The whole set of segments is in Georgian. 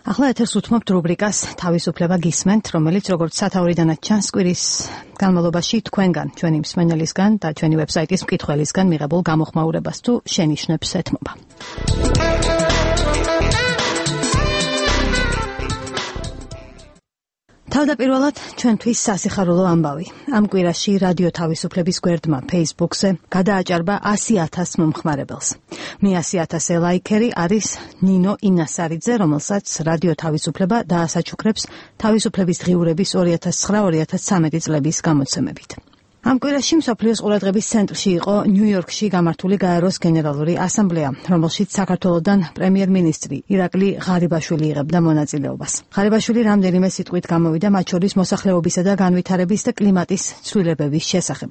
ახლა ეთერს უთმობთ რუბრიკას თავისუფლება გისმენთ, რომელიც როგორც სათაურიდანაც ჩანს კვირის განმავლობაში თქვენგან, ჩვენი მსმენელისგან და ჩვენი ვებსაიტის მკითხველისგან მიღებულ გამოხმაურებას თუ შენიშვნებს ეთმობა. თავდაპირველად ჩვენთვის სასიხარულო ამბავი. ამ კვირაში რადიო თავისუფლების გვერდმა Facebook-ზე გადააჭარბა 100,000 მომხმარებელს. მე 100,000 ლაიქერი არის ნინო ინასარიძე, რომელსაც რადიო თავისუფლება დაასაჩუქრებს თავისუფლების დღიურების 2009-2013 წლების გამოცემებით. ამ კვირაში მსოფლიოს ყურადღების ცენტრში იყო ნიუ-იორკში გამართული გაეროს გენერალური ასამბლეა, რომელშიც საქართველოდან პრემიერ-მინისტრი ირაკლი ღარიბაშვილი იღებდა მონაწილეობას. ღარიბაშვილი რამდენიმე სიტყვით გამოვიდა მათ შორის მოსახლეობისა და განვითარების და კლიმატის ცვლილებების შესახებ.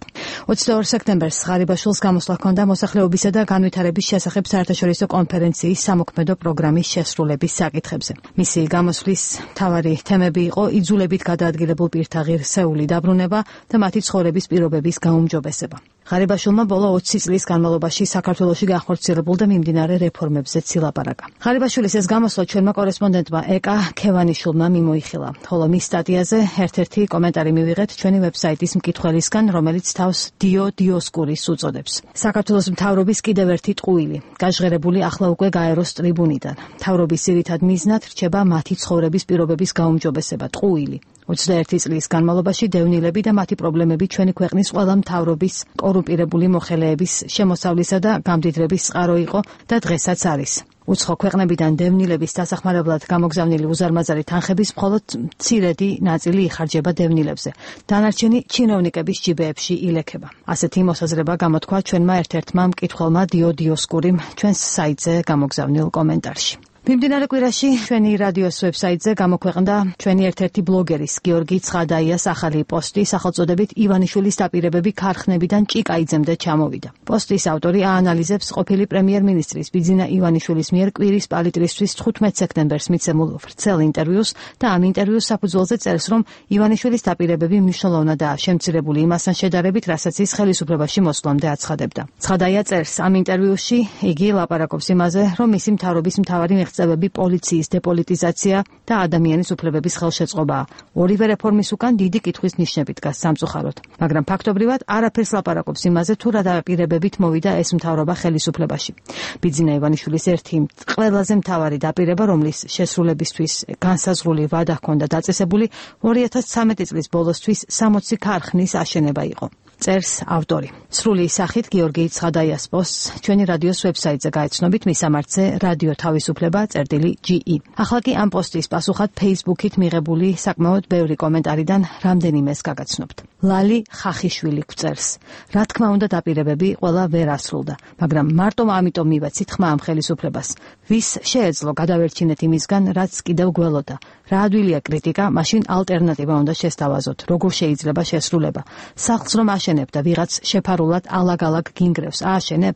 22 სექტემბერს ღარიბაშვილს გამოსვლა ჰქონდა მოსახლეობისა და განვითარების შესახებ საერთაშორისო კონფერენციის სამოქმედო პროგრამის შესრულების საკითხებზე. მისი გამოსვლის მთავარი თემები იყო იძულებით გადაადგილებულ პირთა ღირსეული დაბრუნება და მათი ცხოვრების პირობების გაუმჯობესება. ღარიბაშვილმა ბოლო 20 წლის განმავლობაში საქართველოში განხორციელებულ და მიმდინარე რეფორმებზე ცილაპარაკა. ღარიბაშვილის ეს გამოსვლა ჩვენმა კორესპონდენტმა ეკა ქევანიშვილმა მიმოიხილა, ხოლო მის სტატიაზე ერთ-ერთი კომენტარი მივიღეთ ჩვენი ვებსაიტის მკითხველისგან, რომელიც თავს დიო დიოსკურის უწოდებს. საქართველოს მთავრობის კიდევ ერთი ტყუილი, გაჟღერებული ახლა უკვე გაეროს ტრიბუნიდან. მთავრობის ძირითად მიზნად რჩება მათი ცხოვრების პირობების გაუმჯობესება, ტყუილი. 21 წლის განმავლობაში დევნილები და მათი პრობლემები ჩვენი ქვეყნის ყველა მთავრობის კორუმპირებული მოხელეების შემოსავლისა და გამდიდრების წყარო იყო და დღესაც არის. უცხო ქვეყნებიდან დევნილების დასახმარებლად გამოგზავნილი უზარმაზარი თანხების მხოლოდ მცირედი ნაწილი იხარჯება დევნილებზე. დანარჩენი ჩინოვნიკების ჯიბეებში ილექება. ასეთი მოსაზრება გამოთქვა ჩვენმა ერთ-ერთმა მკითხველმა დიო დიოსკურიმ ჩვენს საიტზე გამოგზავნილ კომენტარში. მიმდინარე კვირაში ჩვენი რადიოს ვებსაიტზე გამოქვეყნდა ჩვენი ერთ-ერთი ბლოგერის გიორგი ცხადაიას ახალი პოსტი სახელწოდებით ივანიშვილის დაპირებები ქარხნებიდან ჭიკაიძემდე ჩამოვიდა. პოსტის ავტორი აანალიზებს ყოფილი პრემიერ-მინისტრის ბიძინა ივანიშვილის მიერ კვირის პალიტრისთვის 15 სექტემბერს მიცემულ ვრცელ ინტერვიუს და ამ ინტერვიუს საფუძველზე წერს, რომ ივანიშვილის დაპირებები მნიშვნელოვნადაა შემცირებული იმასთან შედარებით, რასაც ის ხელისუფლებაში მოსვლამდე აცხადებდა. ცხადაია წერს, ამ ინტერვიუსში იგი ლაპარაკობს იმაზე, რომ მისი მთავრობის მთავარი მიღწევები პოლიციის დეპოლიტიზაცია და ადამიანის უფლებების ხელშეწყობაა. ორივე რეფორმის უკან დიდი კითხვის ნიშნები დგას სამწუხაროდ. მაგრამ ფაქტობრივად არაფერს ლაპარაკობს იმაზე, თუ რა დაპირებებით მოვიდა ეს მთავრობა ხელისუფლებაში. ბიძინა ივანიშვილის ერთი ყველაზე მთავარი დაპირება, რომლის შესრულებისთვის განსაზღვრული ვადა ჰქონდა დაწესებული, 2013 წლის ბოლოსთვის 60 ქარხნის აშენება იყო. წერს ავტორი. სრული სახით გიორგი ცხადაიას პოსტს ჩვენი რადიოს ვებსაიტზე გაეცნობით მისამართზე რადიო თავისუფლება წერტილი.ge. ახლა კი ამ პოსტის პასუხად Facebook-ით მიღებული საკმაოდ ბევრი კომენტარიდან რამდენიმეს გაგაცნობთ. ლალი ხახიშვილი გვწერს. რა თქმა უნდა დაპირებები ყველა ვერ ასრულდა, მაგრამ მარტო ამიტომ მივაცით ხმა ამ ხელისუფლებას. ვის შეეძლო გადავერჩინეთ იმისგან, რაც კიდევ გველოდა. რა ადვილია კრიტიკა, მაშინ ალტერნატივა უნდა შესთავაზოთ. როგორ შეიძლება შესრულება? სახლს რომ აშენებ და ვიღაც შეფარულად ალაგ-ალაგ გინგრევს, ააშენებ?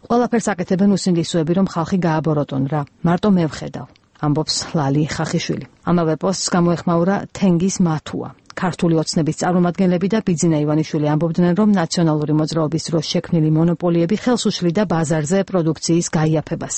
ყველაფერს აკეთებენ უსინდისოები, რომ ხალხი გააბოროტონ რა. მარტო მე ვხედავ. ამბობს ლალი ხახიშვილი. ამავე პოსტს გამოეხმაურა თენგის მათუა. ქართული ოცნების წარმომადგენლები და ბიძინა ივანიშვილი ამბობდნენ, რომ ნაციონალური მოძრაობის დროს შექმნილი მონოპოლიები ხელს უშლიდა ბაზარზე პროდუქციის გაიაფებას.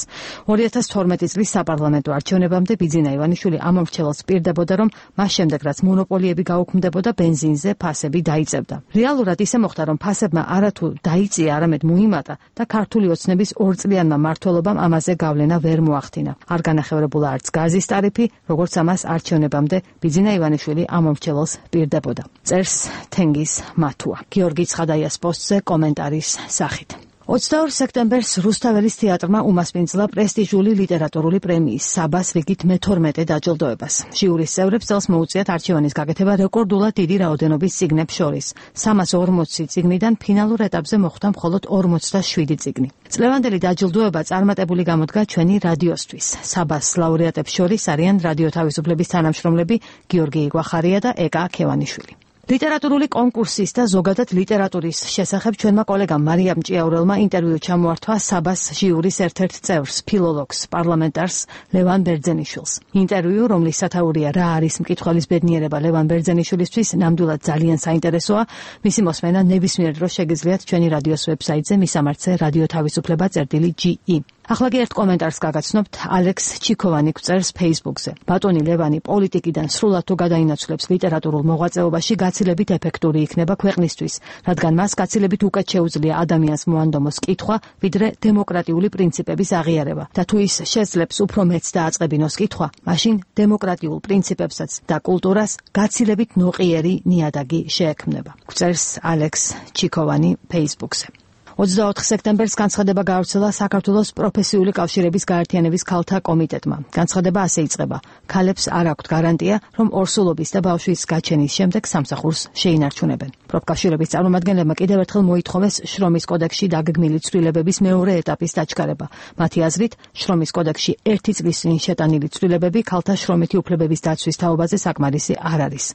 2012 წლის საპარლამენტო არჩევნებამდე ბიძინა ივანიშვილი ამორჩეველს პირდებოდა, რომ მას შემდეგ რაც მონოპოლიები გაუქმდებოდა, ბენზინზე ფასები დაიწევდა. რეალურად ისე მოხდა, რომ ფასებმა არათუ დაიწია, არამედ მოიმატა და ქართული ოცნების ორწლიანმა მმართველობამ ამაზე გავლენა ვერ მოახდინა. არ განახევრებულა არც გაზის ტარიფი, როგორც ამას არჩევნებამდე ბიძინა ივანიშვილი ამორჩეველს პირდებოდა. წერს თენგის მათუა. გიორგი ცხადაიას პოსტზე კომენტარის სახით. 22 სექტემბერს რუსთაველის თეატრმა უმასპინძლა პრესტიჟული ლიტერატურული პრემიის საბას რიგით მე-12 დაჯილდოებას. ჟიურის წევრებს წელს მოუწიათ არჩევანის გაკეთება რეკორდულად დიდი რაოდენობის წიგნებს შორის. 340 წიგნიდან ფინალურ ეტაპზე მოხვდა მხოლოდ 47 წიგნი. წლევანდელი დაჯილდოება წარმატებული გამოდგა ჩვენი რადიოსთვის. საბას ლაურეატებს შორის არიან რადიო თავისუფლების თანამშრომლები გიორგი იგვახარია და ეკა ქევანიშვილი. ლიტერატურული კონკურსის და ზოგადად ლიტერატურის შესახებ ჩვენმა კოლეგამ მარიამ ჭიაურელმა ინტერვიუ ჩამოართვა საბას ჟიურის ერთ-ერთ წევრს, ფილოლოგს, პარლამენტარს ლევან ბერძენიშვილს. ინტერვიუ, რომლის სათაურია რა არის მკითხველის ბედნიერება ლევან ბერძენიშვილისთვის, ნამდვილად ძალიან საინტერესოა. მისი მოსმენა ნებისმიერ დროს შეგიძლიათ ჩვენი რადიოს ვებსაიტზე მისამართზე რადიო თავისუფლება წერტილი.ge. ახლა კი ერთ კომენტარს გაგაცნობთ. ალექს ჩიქოვანი გვწერს Facebook-ზე. ბატონი ლევანი პოლიტიკიდან სრულად თუ გადაინაცვლებს ლიტერატურულ მოღვაწეობაში, გაცილებით ეფექტური იქნება ქვეყნისთვის, რადგან მას გაცილებით უკეთ შეუძლია ადამიანს მოანდომოს კითხვა, ვიდრე დემოკრატიული პრინციპების აღიარება. და თუ ის შეძლებს უფრო მეც დააწყებინოს კითხვა, მაშინ დემოკრატიულ პრინციპებსაც და კულტურას გაცილებით ნოყიერი ნიადაგი შეექმნება. გვწერს ალექს ჩიქოვანი Facebook-ზე. 24 სექტემბერს განცხადება გაავრცელა საქართველოს პროფესიული კავშირების გაერთიანების ქალთა კომიტეტმა. განცხადება ასე იწყება: ქალებს არ აქვთ გარანტია, რომ ორსულობის და ბავშვის გაჩენის შემდეგ სამსახურს შეინარჩუნებენ. პროფკავშირების წარმომადგენლებმა კიდევ ერთხელ მოითხოვეს შრომის კოდექსში დაგეგმილი ცვლილებების მეორე ეტაპის დაჩქარება. მათი აზრით, შრომის კოდექსში 1 წლის წინ შეტანილი ცვლილებები ქალთა შრომითი უფლებების დაცვის თაობაზე საკმარისი არ არის.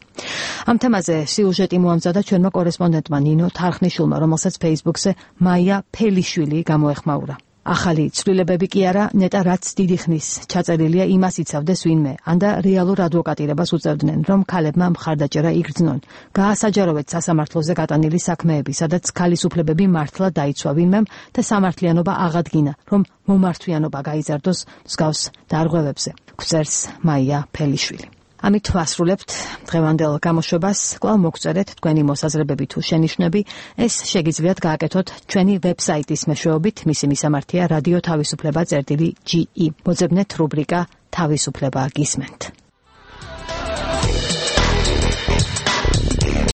ამ თემაზე სიუჟეტი მოამზადა ჩვენმა კორესპონდენტმა ნინო თარხნიშვილმა, რომელსაც Facebook-ზე მაია ფელიშვილი გამოეხმაურა. ახალი ცვლილებები კი არა, ნეტა რაც დიდი ხნის ჩაწერილია, იმას იცავდეს ვინმე, ანდა რეალურ ადვოკატირებას უწევდნენ, რომ ქალებმა მხარდაჭერა იგრძნონ. გაასაჯაროვეთ სასამართლოზე გატანილი საქმეები, სადაც ქალის უფლებები მართლა დაიცვა ვინმემ და სამართლიანობა აღადგინა, რომ მომართვიანობა გაიზარდოს მსგავს დარღვევებზე. გვწერს მაია ფელიშვილი. ამით ვასრულებთ დღევანდელ გამოშვებას. კვლავ მოგწერეთ თქვენი მოსაზრებები თუ შენიშვნები. ეს შეგიძლიათ გააკეთოთ ჩვენი ვებსაიტის მეშვეობით. მისი მისამართია რადიო თავისუფლება წერტილი GE. მოძებნეთ რუბრიკა თავისუფლება გისმენთ.